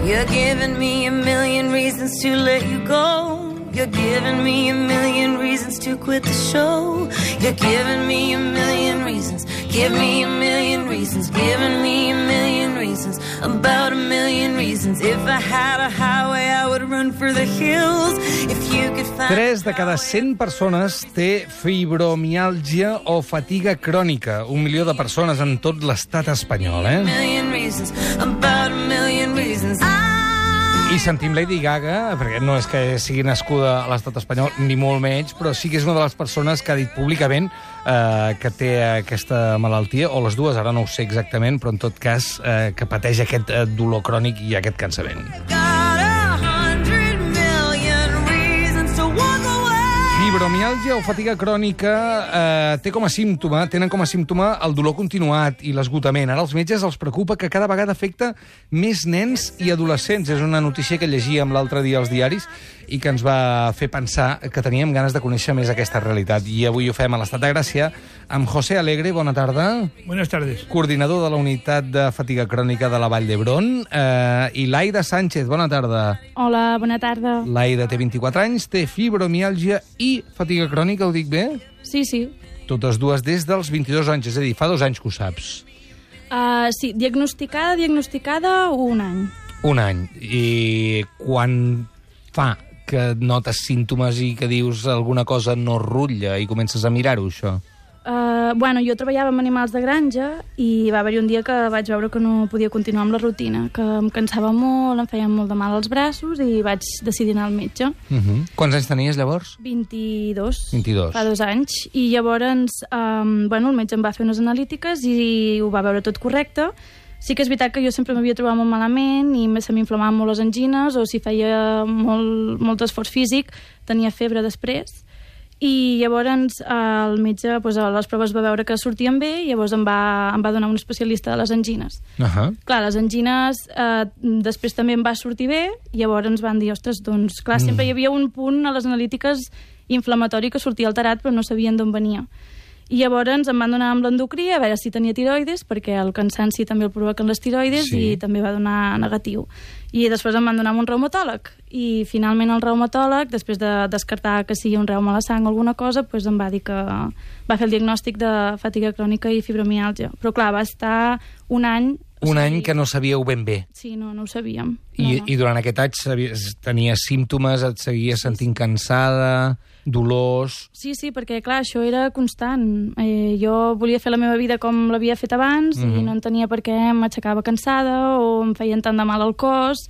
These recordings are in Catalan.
You're giving me a million reasons to let you go. You're giving me a million reasons to quit the show. You're giving me a million reasons. Give me a million reasons. Giving me a million reasons. About a million reasons. If I had a highway, I would run for the hills. If you could find... 3 de cada 100 persones té fibromiàlgia o fatiga crònica. 1 milió de persones en tot l'estat espanyol, A million reasons. About a million reasons. I sentim Lady Gaga, perquè no és que sigui nascuda a l'estat espanyol, ni molt menys, però sí que és una de les persones que ha dit públicament que té aquesta malaltia, o les dues, ara no ho sé exactament, però en tot cas que pateix aquest dolor crònic i aquest cansament. Fibromiàlgia o fatiga crònica tenen com a símptoma el dolor continuat i l'esgotament. Ara als metges els preocupa que cada vegada afecta més nens i adolescents. És una notícia que llegíem l'altre dia als diaris i que ens va fer pensar que teníem ganes de conèixer més aquesta realitat. I avui ho fem a l'Estat de Gràcia amb José Alegre. Bona tarda. Buenas tardes. Coordinador de la Unitat de Fatiga Crònica de la Vall d'Hebron. I Laida Sánchez. Bona tarda. Hola, bona tarda. Laida té 24 anys, té fibromiàlgia i fatiga crònica, ho dic bé? Sí, sí. Totes dues des dels 22 anys, és a dir, fa 2 anys que ho saps. Sí, diagnosticada 1 any. 1 any. I quan fa que notes símptomes i que dius alguna cosa no rutlla i comences a mirar-ho, això? Jo treballava amb animals de granja i va haver-hi un dia que vaig veure que no podia continuar amb la rutina, que em cansava molt, em feien molt de mal als braços i vaig decidir anar al metge. Quants anys tenies, llavors? 22. 22. Fa 2 anys. I llavors, el metge em va fer unes analítiques i ho va veure tot correcte. Sí que és veritat que jo sempre m'havia trobat molt malament i se m'inflamaven molt les angines, o si feia molt esforç físic, tenia febre després. I llavors el metge a les proves va veure que sortien bé i llavors em va donar un especialista de les angines. Clar, les angines després també em va sortir bé i llavors ens van dir, ostres, doncs clar, sempre hi havia un punt a les analítiques inflamatori que sortia alterat però no sabien d'on venia. I llavors em van donar amb l'endocrí a veure si tenia tiroides, perquè el cansanci també el provoquen les tiroides, i també va donar negatiu. I després em van donar amb un reumatòleg. I finalment el reumatòleg, després de descartar que sigui un reuma a la sang o alguna cosa, doncs em va dir que va fer el diagnòstic de fatiga crònica i fibromiàlgia. Però clar, va estar 1 any... Un any que no sabíeu ben bé. Sí, no ho sabíem. I durant aquest any tenies símptomes, et seguies sentint cansada, dolors... Sí, perquè clar, això era constant. Jo volia fer la meva vida com l'havia fet abans i no entenia per què m'aixecava cansada o em feien tant de mal al cos.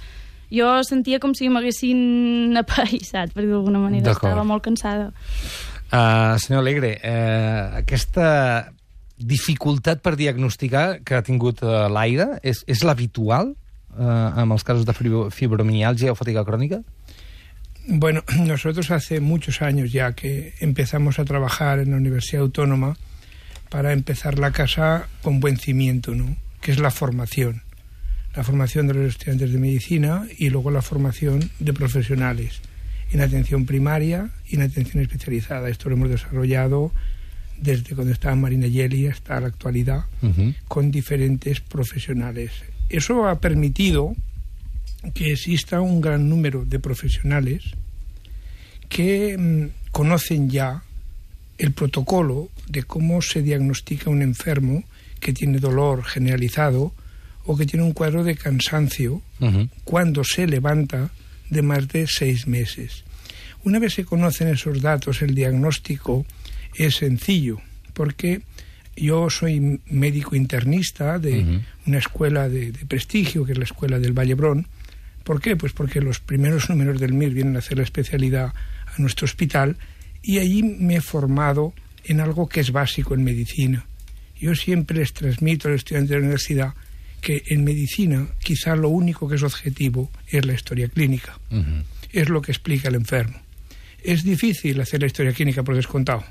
Jo sentia com si m'haguessin apaïssat, per dir d'alguna manera. Estava molt cansada. Senyor Alegre, aquesta dificultat per diagnosticar que ha tingut l'Aida és l'habitual en els casos de fibromiàlgia o fatiga crònica? Bueno, nosotros hace muchos años ya que empezamos a trabajar en la Universidad Autónoma para empezar la casa con buen cimiento, ¿no? Que es la formación de los estudiantes de medicina y luego la formación de profesionales en atención primaria y en atención especializada. Esto lo hemos desarrollado desde cuando estaba Marina Yeli hasta la actualidad, con diferentes profesionales. Eso ha permitido que exista un gran número de profesionales que conocen ya el protocolo de cómo se diagnostica un enfermo que tiene dolor generalizado o que tiene un cuadro de cansancio cuando se levanta de más de 6 meses. Una vez se conocen esos datos, el diagnóstico es sencillo, porque yo soy médico internista de una escuela de prestigio, que es la Escuela del Vall d'Hebron. ¿Por qué? Pues porque los primeros números del MIR vienen a hacer la especialidad a nuestro hospital y allí me he formado en algo que es básico en medicina. Yo siempre les transmito a los estudiantes de la universidad que en medicina quizá lo único que es objetivo es la historia clínica. Es lo que explica el enfermo. Es difícil hacer la historia clínica por descontado,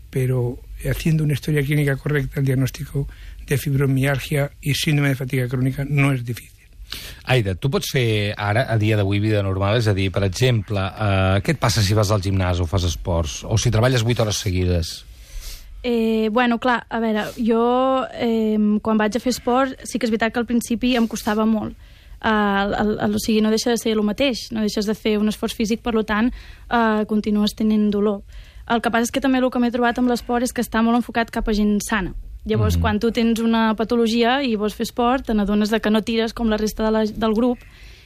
pero haciendo una historia clínica correcta, el diagnóstico de fibromialgia i síndrome de fatiga crònica no és difícil. Aida, tu pots fer ara, a dia d'avui, vida normal? És a dir, per exemple, què et passa si vas al gimnàs o fas esports? O si treballes 8 hores seguides? Clar, a veure, jo quan vaig a fer esport sí que és veritat que al principi em costava molt. o sigui, no deixa de ser el mateix, no deixes de fer un esforç físic, per tant, continues tenint dolor. El que passa és que també el que m'he trobat amb l'esport és que està molt enfocat cap a gent sana. Llavors, quan tu tens una patologia i vols fer esport, te n'adones que no tires com la resta del grup.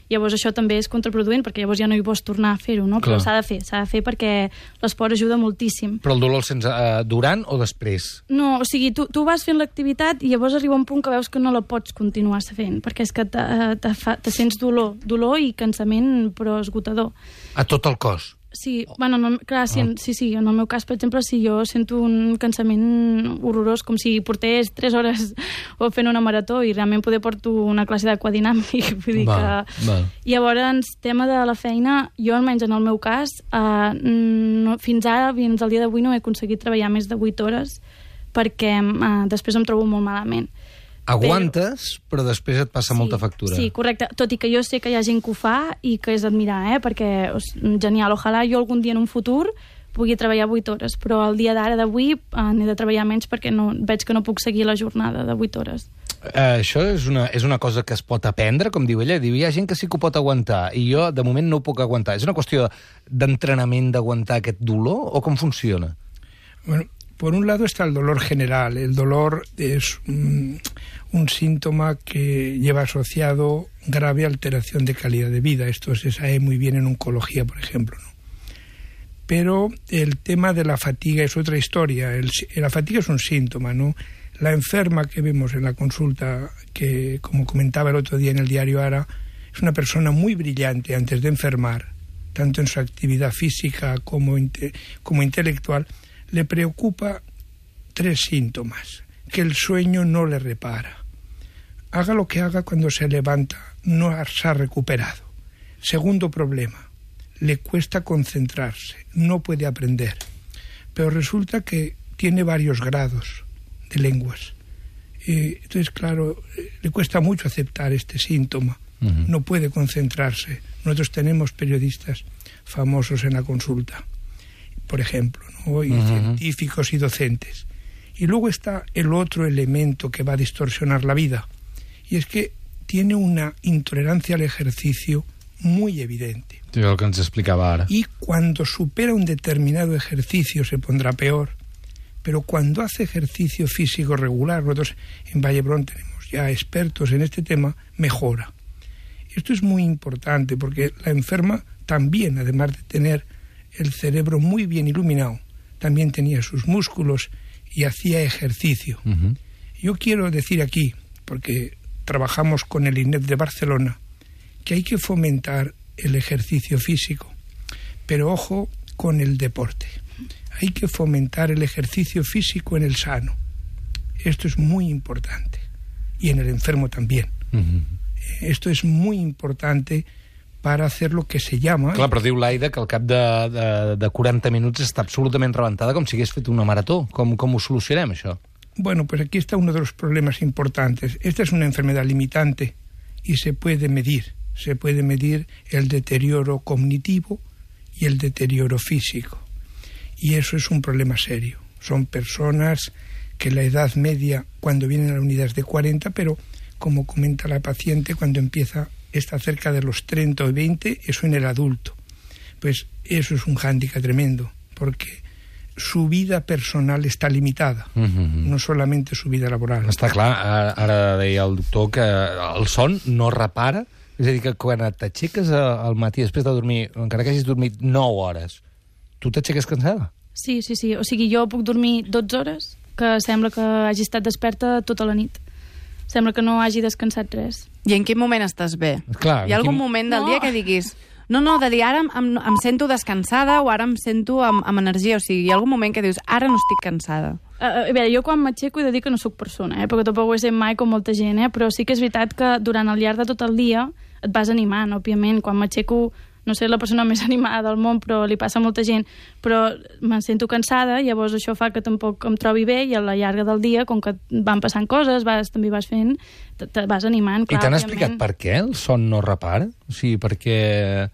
Llavors això també és contraproduent, perquè llavors ja no hi vols tornar a fer-ho, no? Però s'ha de fer perquè l'esport ajuda moltíssim. Però el dolor el sents durant o després? No, o sigui, tu vas fent l'activitat i llavors arriba un punt que veus que no la pots continuar fent, perquè és que te sents dolor i cansament, però esgotador. A tot el cos? Sí, bueno, clar, sí, en el meu cas, per exemple, si jo sento un cansament horrorós, com si portés 3 hores fent una marató i realment poder porto una classe d'aquadinàmic, vull dir que... Llavors, tema de la feina, jo almenys en el meu cas, fins ara, fins al dia d'avui, no he aconseguit treballar més de 8 hores perquè després em trobo molt malament. Aguantes, però després et passa molta factura. Sí, correcte. Tot i que jo sé que hi ha gent que ho fa i que és d'admirar, perquè genial. Ojalà jo algun dia en un futur pugui treballar 8 hores, però el dia d'ara d'avui n'he de treballar menys perquè veig que no puc seguir la jornada de 8 hores. Això és una cosa que es pot aprendre, com diu ella. Diu, hi ha gent que sí que ho pot aguantar i jo, de moment, no ho puc aguantar. És una qüestió d'entrenament d'aguantar aquest dolor o com funciona? Bueno, por un lado está el dolor general. El dolor es un síntoma que lleva asociado grave alteración de calidad de vida. Esto se sabe muy bien en oncología, por ejemplo, ¿no? Pero el tema de la fatiga es otra historia. La fatiga es un síntoma, ¿no? La enferma que vemos en la consulta, que como comentaba el otro día en el diario Ara, es una persona muy brillante antes de enfermar, tanto en su actividad física como intelectual. Le preocupa 3 síntomas: que el sueño no le repara, haga lo que haga, cuando se levanta no se ha recuperado. Segundo problema, le cuesta concentrarse, no puede aprender, pero resulta que tiene varios grados de lenguas. Entonces, claro, le cuesta mucho aceptar este síntoma, no puede concentrarse. Nosotros tenemos periodistas famosos en la consulta, por ejemplo, ¿no? Y científicos y docentes. Y luego está el otro elemento que va a distorsionar la vida, y es que tiene una intolerancia al ejercicio muy evidente. Sí, el que ens explicava ara. Y cuando supera un determinado ejercicio se pondrá peor, pero cuando hace ejercicio físico regular, nosotros en Vallebrón tenemos ya expertos en este tema, mejora. Esto es muy importante porque la enferma también, además de tener el cerebro muy bien iluminado, también tenía sus músculos y hacía ejercicio. Yo quiero decir aquí, porque trabajamos con el INEF de Barcelona, que hay que fomentar el ejercicio físico, pero ojo con el deporte. Hay que fomentar el ejercicio físico en el sano. Esto es muy importante. Y en el enfermo también. Esto es muy importante para hacer lo que se llama... Clar, però diu l'Aida que al cap de 40 minuts està absolutament rebentada, com si hagués fet una marató. Com ho solucionem, això? Bueno, pues aquí está uno de los problemas importantes. Esta es una enfermedad limitante y se puede medir. Se puede medir el deterioro cognitivo y el deterioro físico. Y eso es un problema serio. Son personas que la edad media, cuando vienen a la unidad, es de 40, pero como comenta la paciente, cuando empieza está cerca de los 30 o 20, eso en el adulto. Pues eso es un hándicap tremendo, porque su vida personal està limitada, no solamente su vida laboral. Està clar, ara deia el doctor que el son no repara, és a dir, que quan t'aixeques al matí després de dormir, encara que hagis dormit 9 hores, tu t'aixeques cansada? Sí. O sigui, jo puc dormir 12 hores, que sembla que hagi estat desperta tota la nit. Sembla que no hagi descansat res. I en quin moment estàs bé? Clar, hi ha algun moment del dia que diguis no, de dir ara em sento descansada o ara em sento amb energia, o sigui, hi ha algun moment que dius ara no estic cansada? A veure, jo quan m'aixeco he de dir que no sóc persona, perquè tampoc ho he sent mai com molta gent, però sí que és veritat que durant el llarg de tot el dia et vas animant, òbviament. Quan m'aixeco no sé la persona més animada del món, però li passa a molta gent, però me sento cansada, llavors això fa que tampoc em trobi bé, i a la llarga del dia, com que van passant coses, també vas fent, te vas animant, clar. I t'han explicat per què el son no repara? O sigui, perquè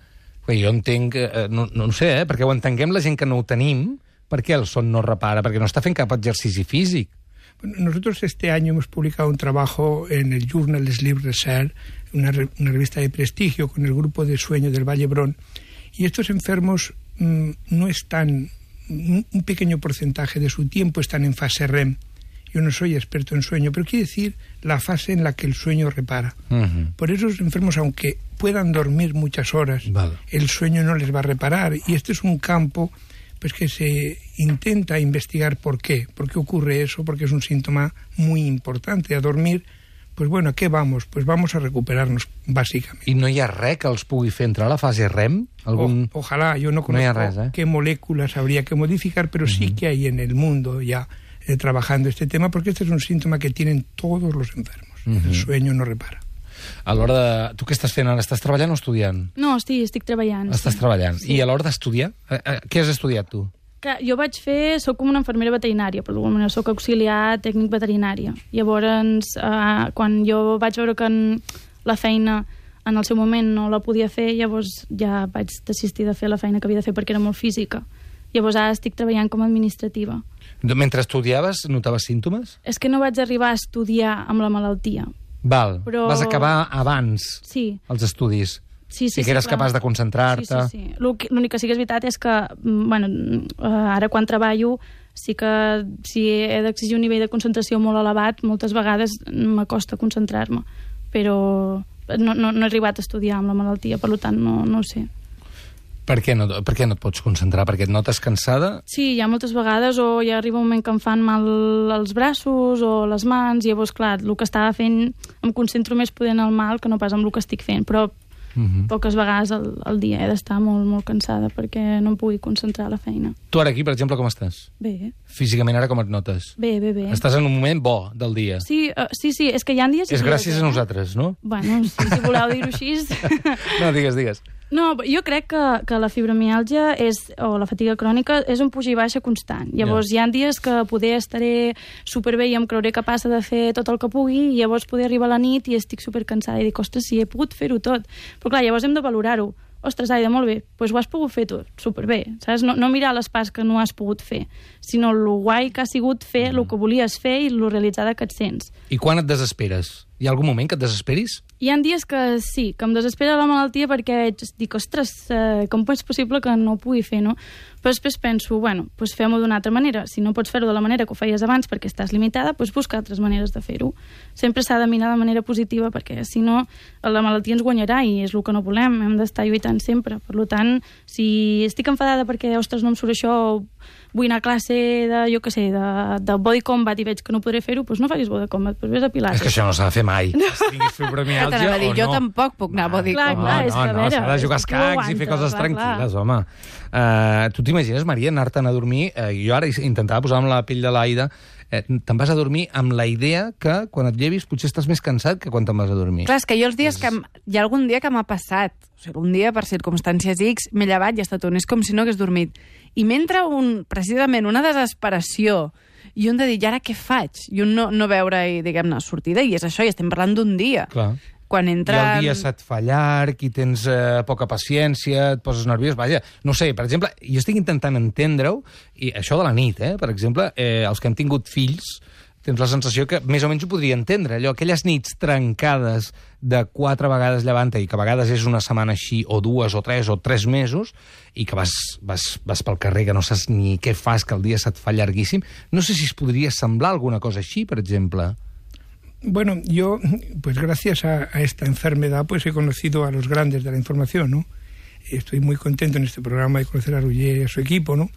jo entenc, no sé, perquè ho entenguem la gent que no ho tenim, per què el son no repara? Perquè no està fent cap exercici físic. Bueno, nosotros este año hemos publicado un trabajo en el Journal Sleep Research, una revista de prestigio con el grupo de sueño del Vall d'Hebron, y estos enfermos no están, un pequeño porcentaje de su tiempo están en fase REM. Yo no soy experto en sueño, pero quiere decir la fase en la que el sueño repara. Por eso los enfermos, aunque puedan dormir muchas horas, el sueño no les va a reparar. Y este es un campo pues que se intenta investigar por qué ocurre eso, porque es un síntoma muy importante. A dormir, pues bueno, ¿a qué vamos? Pues vamos a recuperarnos, básicamente. I no hi ha res que els pugui fer entrar a la fase REM? Ojalá, yo no conozco qué moléculas habría que modificar, pero sí que hay en el mundo ya trabajando este tema, porque este es un síntoma que tienen todos los enfermos. El sueño no repara. A l'hora de... Tu què estàs fent ara? Estàs treballant o estudiant? No, estic treballant. Estàs treballant. Sí. I a l'hora d'estudiar? Què has estudiat, tu? Clar, jo soc com una infermera veterinària, però d'alguna manera soc auxiliar tècnic veterinària. Llavors, quan jo vaig veure que la feina en el seu moment no la podia fer, llavors ja vaig desistir de fer la feina que havia de fer perquè era molt física. Llavors ara estic treballant com a administrativa. Mentre estudiaves, notaves símptomes? És que no vaig arribar a estudiar amb la malaltia. Val, però... vas acabar abans els estudis. Sí, que eres capaç de concentrar-te. Sí. L'únic que sí que és veritat és que, bueno, ara quan treballo, sí que si he d'exigir un nivell de concentració molt elevat, moltes vegades m'acosta concentrar-me. Però no he arribat a estudiar amb la malaltia, per tant, no ho sé. Per què no et pots concentrar? Perquè et notes cansada? Sí, hi ha moltes vegades, o ja arriba un moment que em fan mal els braços o les mans, i llavors, clar, el que estava fent em concentro més poder en el mal que no pas en el que estic fent, però poques vegades al dia he d'estar molt, molt cansada perquè no em pugui concentrar a la feina. Tu ara aquí, per exemple, com estàs? Bé. Físicament ara com et notes? Bé. Estàs en un moment bo del dia? Sí, és que hi ha dies... És gràcies a nosaltres, no? Bueno, si voleu dir-ho així... No, digues. No, jo crec que la fibromiàlgia o la fatiga crònica és un puja i baixa constant. Llavors hi ha dies que poder estaré superbé i em creuré capaç de fer tot el que pugui, i llavors poder arribar a la nit i estic supercansada i dic, ostres, si he pogut fer-ho tot. Però clar, llavors hem de valorar-ho. Ostres, Aida, molt bé, doncs ho has pogut fer tu, superbé, saps? No mirar les parts que no has pogut fer, sinó el guai que ha sigut fer el que volies fer i el realitzada que et sents. I quan et desesperes? Hi ha algun moment que et desesperis? Hi ha dies que sí, que em desespera la malaltia perquè dic, ostres, com és possible que no ho pugui fer, no? Però després penso, bueno, doncs fem-ho d'una altra manera. Si no pots fer-ho de la manera que ho feies abans perquè estàs limitada, doncs busca altres maneres de fer-ho. Sempre s'ha de mirar de manera positiva perquè, si no, la malaltia ens guanyarà i és el que no volem. Hem d'estar lluitant sempre. Per tant, si estic enfadada perquè, ostres, no em surt això, vull anar a classe de, jo què sé, de body combat i veig que no podré fer-ho, doncs no facis body combat, doncs vés a pilates. És que això no s'ha de fer mai. No. Si tinguis fibromiàlgia o no. Jo tampoc puc anar a body combat. No, s'ha de jugar escacs i fer coses tranquil·les, home. Tu t'imagines, Maria, anar-te'n a dormir? Jo ara intentava posar-me la pell de l'Aida. Te'n vas a dormir amb la idea que quan et llevis potser estàs més cansat que quan te'n vas a dormir. Clar, és que jo els dies que... Hi ha algun dia que m'ha passat. O sigui, un dia, per circumstàncies X, m'he llevat i he estat és com si no hagués dormit. I m'entra precisament una desesperació i un de dir, i ara què faig? I un no veure, diguem-ne, sortida, i és això, i estem parlant d'un dia. Clar. Quan entra... I el dia se't fa llarg, i tens poca paciència, et poses nerviós, vaja. No sé, per exemple, jo estic intentant entendre-ho, i això de la nit, per exemple, els que hem tingut fills, tens la sensació que més o menys ho podria entendre. Allò, aquelles nits trencades de 4 vegades llevant-te, i que a vegades és una setmana així, o 2, o 3, o 3 mesos, i que vas pel carrer, que no saps ni què fas, que el dia se't fa llarguíssim. No sé si es podria semblar alguna cosa així, per exemple. Bueno, yo, pues gracias a esta enfermedad, pues he conocido a los grandes de la información, ¿no? Estoy muy contento en este programa de conocer a Roger y a su equipo, ¿no?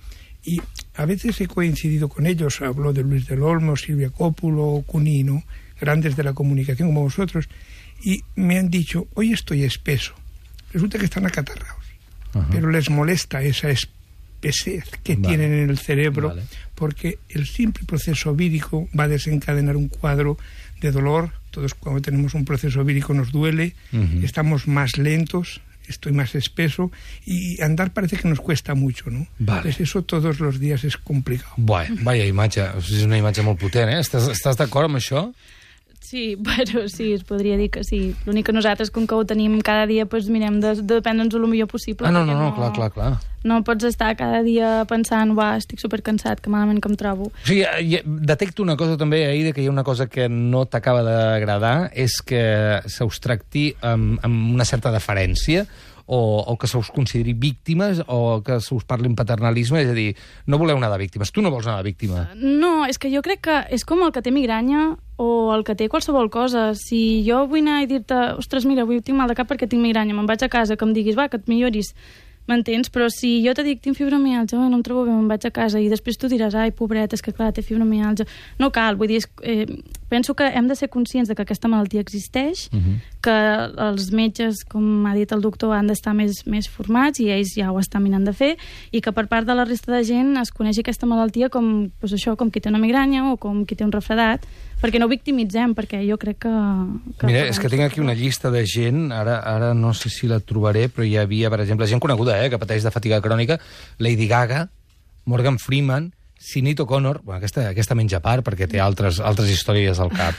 Y a veces he coincidido con ellos, hablo de Luis del Olmo, Silvia Cópulo, Cuní, ¿no? Grandes de la comunicación como vosotros, y me han dicho, hoy estoy espeso. Resulta que están acatarrados, pero les molesta esa espesez que tienen en el cerebro, porque el simple proceso vírico va a desencadenar un cuadro de dolor. Todos cuando tenemos un proceso vírico nos duele, estamos más lentos, estoy más espeso, y andar parece que nos cuesta mucho, ¿no? Pues eso todos los días es complicado. Vaya imatge, és una imatge molt potent, eh? Estàs d'acord amb això? Sí, bueno, sí, es podria dir que sí. L'únic que nosaltres, com que ho tenim cada dia, doncs mirem de prendre'ns el millor possible. No, clar. No pots estar cada dia pensant, estic supercansat, que malament que em trobo. O sigui, detecto una cosa també, Aida, que hi ha una cosa que no t'acaba d'agradar, és que se us tracti amb una certa deferència, o que se us consideri víctimes, o que se us parli en paternalisme, és a dir, no voleu anar de víctimes. Tu no vols anar de víctima. No, és que jo crec que és com el que té migranya o el que té qualsevol cosa. Si jo vull anar i dir-te, ostres, mira, avui tinc mal de cap perquè tinc migranya, me'n vaig a casa, que em diguis, que et milloris, m'entens? Però si jo te dic, tinc fibromialgia, no em trobo bé, me'n vaig a casa, i després tu diràs, ai, pobret, és que clar, té fibromialgia. No cal, vull dir, penso que hem de ser conscients de que aquesta malaltia existeix, que els metges, com ha dit el doctor, han d'estar més formats, i ells ja ho estan mirant de fer, i que per part de la resta de gent es coneixi aquesta malaltia com qui té una migranya o com qui té un refredat, perquè no victimitzem, perquè jo crec que Mira, és que tinc aquí una llista de gent, ara no sé si la trobaré, però hi havia, per exemple, gent coneguda, que pateix de fatiga crònica, Lady Gaga, Morgan Freeman, Sinead O'Connor, aquesta menja part perquè té altres històries al cap,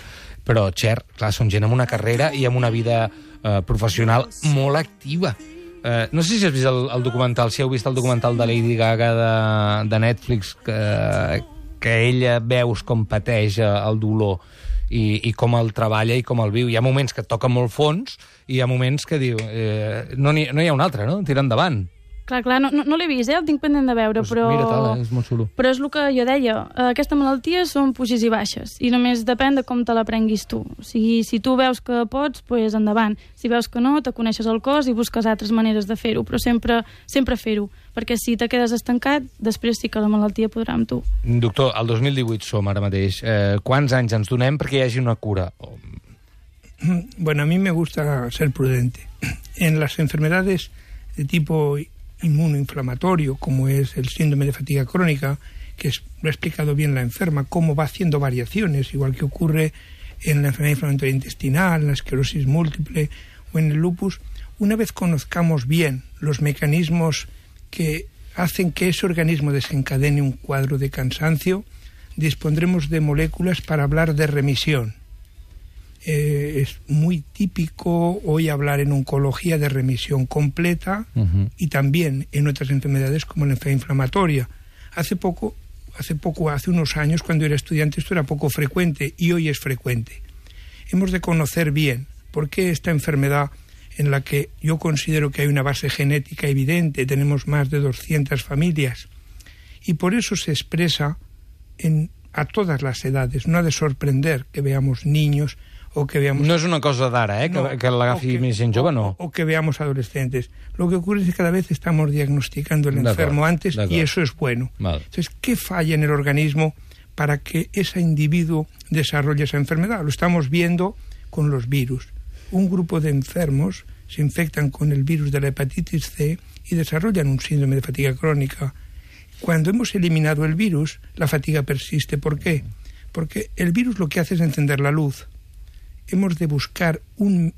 però Cher, clar, són gent amb una carrera i amb una vida professional molt activa. No sé si has vist el documental, si heu vist el documental de Lady Gaga de Netflix, que ella veus com pateix el dolor i com el treballa i com el viu. Hi ha moments que toca molt fons i hi ha moments que diu no hi ha un altre, no? Tira endavant. Clar, no l'he vist, el tinc pendent de veure, Pues però... mira, és molt xulo. Però és el que jo deia, aquesta malaltia són puges i baixes, i només depèn de com te la prenguis tu. O sigui, si tu veus que pots, doncs endavant. Si veus que no, te coneixes el cos i busques altres maneres de fer-ho, però sempre fer-ho, perquè si te quedes estancat, després sí que la malaltia podrà amb tu. Doctor, el 2018 som ara mateix. Quants anys ens donem perquè hi hagi una cura? Bueno, a mí me gusta ser prudente. En las enfermedades de tipo inmunoinflamatorio, como es el síndrome de fatiga crónica, que lo ha explicado bien la enferma, cómo va haciendo variaciones, igual que ocurre en la enfermedad inflamatoria intestinal, en la esclerosis múltiple o en el lupus. Una vez conozcamos bien los mecanismos que hacen que ese organismo desencadene un cuadro de cansancio, dispondremos de moléculas para hablar de remisión. Es muy típico hoy hablar en oncología de remisión completa y también en otras enfermedades como la enfermedad inflamatoria. Hace unos años, cuando era estudiante, esto era poco frecuente y hoy es frecuente. Hemos de conocer bien por qué esta enfermedad, en la que yo considero que hay una base genética evidente, tenemos más de 200 familias, y por eso se expresa a todas las edades. No ha de sorprender que veamos niños o que veamos... No és una cosa d'ara, que l'agafi més gent jove, no. O que veamos adolescentes. Lo que ocurre es que cada vez estamos diagnosticando el enfermo antes y eso es bueno. Vale. Entonces, ¿qué falla en el organismo para que ese individuo desarrolle esa enfermedad? Lo estamos viendo con los virus. Un grupo de enfermos se infectan con el virus de la hepatitis C y desarrollan un síndrome de fatiga crónica. Cuando hemos eliminado el virus, la fatiga persiste. ¿Por qué? Porque el virus lo que hace es encender la luz. Hemos de buscar un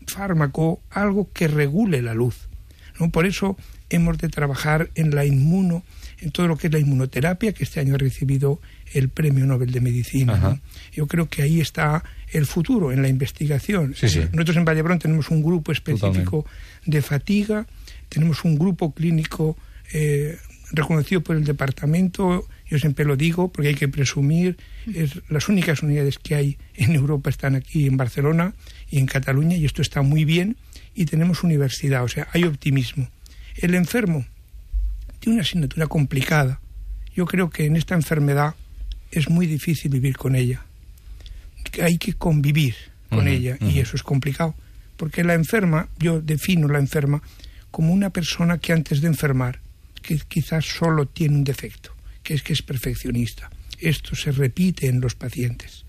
fármaco, algo que regule la luz, ¿no? Por eso hemos de trabajar en todo lo que es la inmunoterapia, que este año ha recibido el Premio Nobel de Medicina, ¿no? Yo creo que ahí está el futuro, en la investigación. Sí. Nosotros en Vallebrón tenemos un grupo específico de fatiga, tenemos un grupo clínico reconocido por el departamento. Yo siempre lo digo porque hay que presumir, las únicas unidades que hay en Europa están aquí en Barcelona y en Cataluña, y esto está muy bien, y tenemos universidad, o sea, hay optimismo. El enfermo tiene una asignatura complicada. Yo creo que en esta enfermedad es muy difícil vivir con ella. Hay que convivir con ella, y eso es complicado, porque la enferma, yo defino la enferma como una persona que antes de enfermar, que quizás solo tiene un defecto, que es perfeccionista. Esto se repite en los pacientes.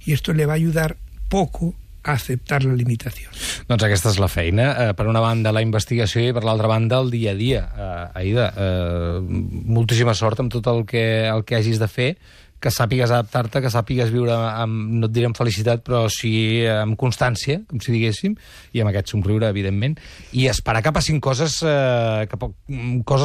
I esto le va a ayudar poco a acceptar la limitació. Doncs aquesta és la feina. Per una banda, la investigació, i per l'altra banda, el dia a dia. Aida, moltíssima sort amb tot el que hagis de fer, que sàpigues adaptar-te, que sàpigues viure amb, no et diré amb felicitat, però sí amb constància, com si diguéssim, i amb aquest somriure, evidentment, i esperar que passin coses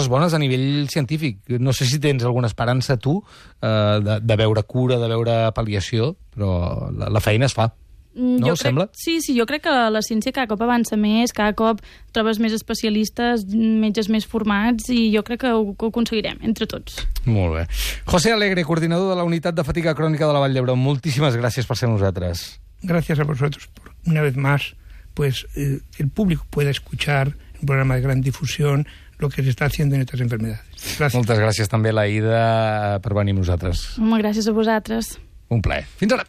bones a nivell científic. No sé si tens alguna esperança, tu, de veure cura, de veure pal·liació, però la feina es fa. No us sembla? Sí, jo crec que la ciència cada cop avança més, cada cop trobes més especialistes, metges més formats, i jo crec que ho aconseguirem, entre tots. Molt bé. José Alegre, coordinador de la Unitat de Fatiga Crònica de la Vall d'Hebron, moltíssimes gràcies per ser amb nosaltres. Gracias a vosotros por, una vez más, pues el público pueda escuchar un programa de gran difusión lo que se está haciendo en estas enfermedades. Gracias. Moltes gràcies també a l'Aïda per venir amb nosaltres. Home, gràcies a vosaltres. Un plaer. Fins ara.